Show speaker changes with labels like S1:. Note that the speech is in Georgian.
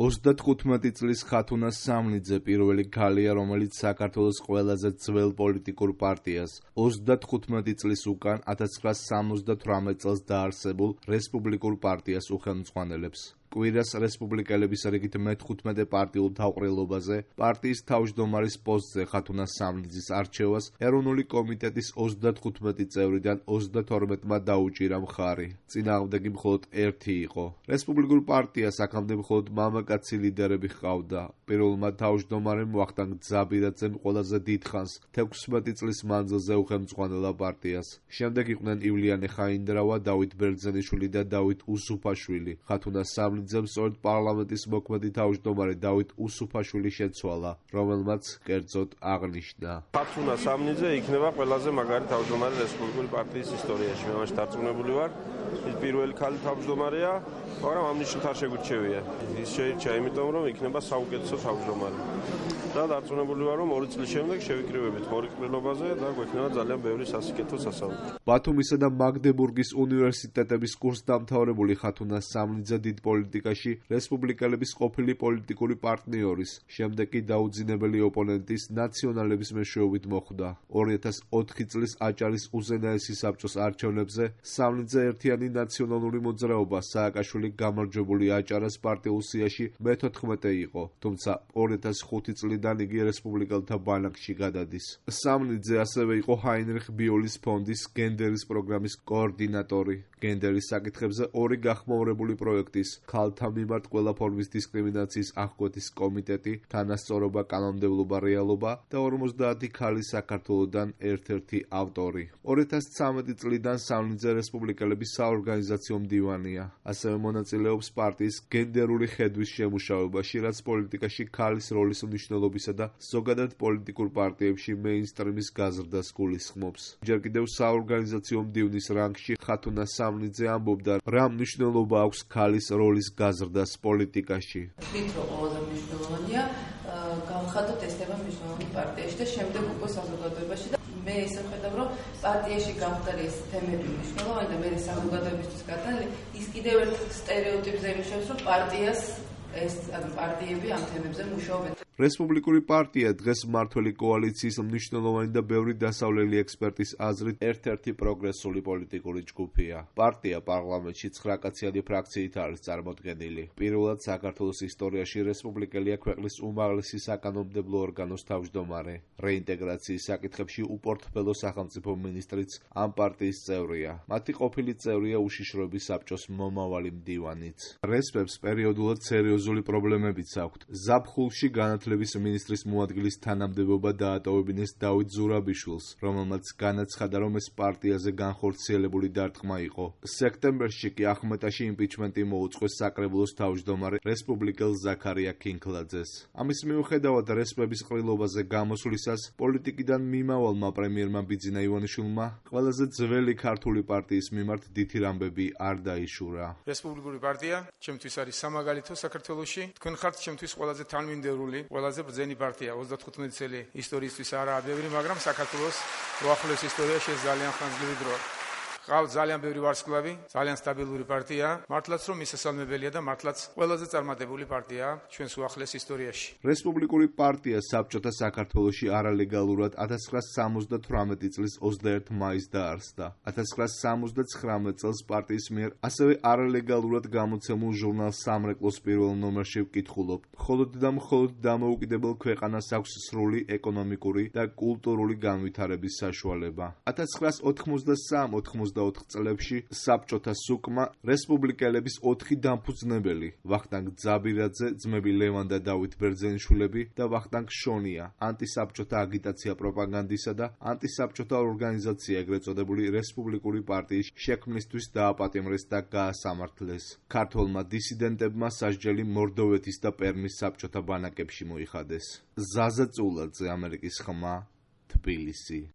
S1: 35 წლის ხათუნა სამნიძე პირველი ქალია, რომელიც საქართველოს ყველაზე ძველ პოლიტიკურ პარტიას 35 წლის უკან 1978 წელს დაარსებულ რესპუბლიკურ პარტიას უხელმძღვანელებს. კვირას რესპუბლიკელების რიგით მე-15 პარტიულ თავყრილობაზე პარტიის თავმჯდომარის პოსტზე ხათუნა სამნიძის არჩევას ეროვნული კომიტეტის 35 წევრიდან 32-მა დაუჭირა მხარი. წინააღმდეგი მხოლოდ ერთი იყო. რესპუბლიკურ პარტიას აქამდე მხოლოდ მამაკაცი ლიდერები ჰყავდა. პირველმა თავმჯდომარემ ვახტანგ ძაბირაძემ ყველაზე დიდხანს 16 წლის მანძილზე უხელმძღვანელა პარტიას. შემდეგ იყვნენ ივლიანე ხაინდრავა, დავით ბერძენიშვილი და დავით უსუფაშვილი. ხათუნა სამნიძემ სწორედ პარლამენტის მოქმედი თავმჯდომარე დავით უსუფაშვილი შეცვალა, რომელმაც კერძოდ აღნიშნა.
S2: ხათუნა სამნიძე იქნება ყველაზე მაგარი თავმჯდომარე რესპუბლიკური პარტიის ისტორიაში. მე მაშინ დარწმუნებული ვარ, ის პირველი ქალი თავმჯდომარეა, მაგრამ ამ ნიშნით არ შეგვირჩევია. ის შეირჩა იმიტომ, რომ იქნება საუკეთესო თავმჯდომარე. და დარწმუნებული ვარ, რომ 2 წლის შემდეგ შევიკრიბებით მორიგრილობაზე და გვექნება ძალიან ბევრი სასიკეთო სასაუბრო.
S1: ბათუმისა და მაგდებურგის უნივერსიტეტების კურსდამთავრებული ხათუნა სამნიძე დიდ პოლიტიკაში რესპუბლიკელების ყოფილი პოლიტიკური პარტნიორის, შემდეგ კი დაუძინებელი ოპონენტის ნაციონალების მეშვეობით მოხვდა. 2004 წლის აჭარის უზენაესი საბჭოს არჩევნებზე სამნიძე ერთიანი ნაციონალური მოძრაობა სააკაშვილი გამარჯვებული აჭარას პარტიულ სიაში მე-14 იყო, თუმცა 2005 წლიდან იგი რესპუბლიკელთა ბანაკში გადადის. სამნიძე ასევე იყო ჰაინრიხ ბიოლის ფონდის გენდერის პროგრამის კოორდინატორი. გენდერის საკითხებზე 2 გახმაურებული პროექტის ქალთა მიმართ ყველა ფორმის დისკრიმინაციის აღკვეთის კომიტეტი, თანასწორობა, კანონმდებლობა, რეალობა და 50 ქალი საქართველოდან ერთ-ერთი ავტორი. 2013 წლიდან სამნიძე რესპუბლიკელების საორგანიზაციო მდივანია. ასევე მონაწილეობს პარტიის გენდერული ხედვის შემუშავებაში, რაც პოლიტიკაში ქალის როლის მნიშვნელობისა და ზოგადად პოლიტიკურ პარტიებში მეინსტრიმის გაზრდას გულისხმობს. ჯერ კიდევ საორგანიზაციო მდივნის რანგში ხათუნა სამნიძე ამბობდა, რა მნიშვნელობა აქვს ქალის როლის გაზრდას პოლიტიკაში.
S3: ვთქვით, რომ ყველაზე მნიშვნელოვანია გავხადოთ ეს თემა მნიშვნელოვანი პარტიაში და შემდეგ უკვე საზოგადოებაში და მე ესე ვხედავ, რომ პარტიაში გამხდარი ეს თემები მნიშვნელოვანი და მე საზოგადოებისთვის გადალი ის კიდევ ერთ სტერეოტიპზე იმუშავებს, რომ პარტიას ეს პარტიები ამ თემებზე მუშაობენ.
S1: რესპუბლიკური პარტია დღეს მმართველი კოალიციის მნიშვნელოვანი და ბევრი დასავლელი ექსპერტის აზრით ერთ-ერთი პროგრესული პოლიტიკური ჯგუფია. პარტია პარლამენტში 9-კაციანი ფრაქციით არის წარმოდგენილი. პირველად საქართველოს ისტორიაში რესპუბლიკელია ქვეყნის უმაღლესი საკანონმდებლო ორგანოს თავმჯდომარე. რეინტეგრაციის საკითხებში უპორტფელო სახელმწიფო მინისტრიც ამ პარტიის წევრია. მათი ყოფილი წევრია უშიშროების საბჭოს მომავალი მდივანიც. რესპებს პერიოდულად სერიოზული პრობლემებიც აქვთ. ზაფხულში განათლების მინისტრის მოადგილის თანამდებობა დაატოვებინეს დავით ზურაბიშვილს, რომელმაც განაცხადა, რომ ეს პარტიაზე განხორციელებული დარტყმა იყო. სექტემბერში კი ახმეტაში იმპიჩმენტი მოუწყვეს საკრებულოს თავმჯდომარე რესპუბლიკელ ზაქარია ქინქლაძეს. ამის მიუხედავად რესპების ყრილობაზე გამოსვლისას პოლიტიკიდან მიმავალმა პრემიერმა ბიძინა ივანიშვილმა ყველაზე ძველი ქართული პარტიის მიმართ დიდი ამბები არ დაიშურა.
S4: რესპუბლიკური პარტია ჩემთვის არის სამაგალითო საქართველოში. თქვენ ხართ ჩემთვის ყველაზე თანმიმდევრული, ყველაზე ბრძენი პარტია 35 წელი ისტორიისთვის არაა ბევრი, მაგრამ საქართველოს უახლოეს ისტორიაში ეს ძალიან ხანგრძლივი დროა. ყავს ძალიან ბევრი ვარსკვლავი, ძალიან სტაბილური პარტია, მართლაც რომ მისასალმებელია და მართლაც ყველაზე წარმატებული პარტიაა ჩვენს უახლოეს ისტორიაში.
S1: რესპუბლიკური პარტია საბჭოთა საქართველოში არალეგალურად 1978 წლის 21 მაისს დაარსდა. 1979 წელს პარტიის მიერ ასევე არალეგალურად გამოცემულ ჟურნალ სამრეკლოს პირველ ნომერში ვკითხულობ. მხოლოდ და მხოლოდ დამოუკიდებელ ქვეყანას აქვს სრული ეკონომიკური და კულტურული განვითარების საშუალება. 1983-84 წლებში საბჭოთა სუკმა რესპუბლიკელების 4 დამფუძნებელი ვახტანგ ძაბირაძე, ძმები ლევან და დავით ბერძენიშვილები და ვახტანგ შონია ანტისაბჭოთა აგიტაცია პროპაგანდისა და ანტისაბჭოთა ორგანიზაცია ეგრეთ წოდებული რესპუბლიკური პარტიის შექმნისთვის დააპატიმრეს და გაასამართლეს. ქართველმა დისიდენტებმა სასჯელი მორდოვეთის და პერმის საბჭოთა ბანაკებში მოიხადეს. ზაზა წულაძე, ამერიკის ხმა, თბილისი.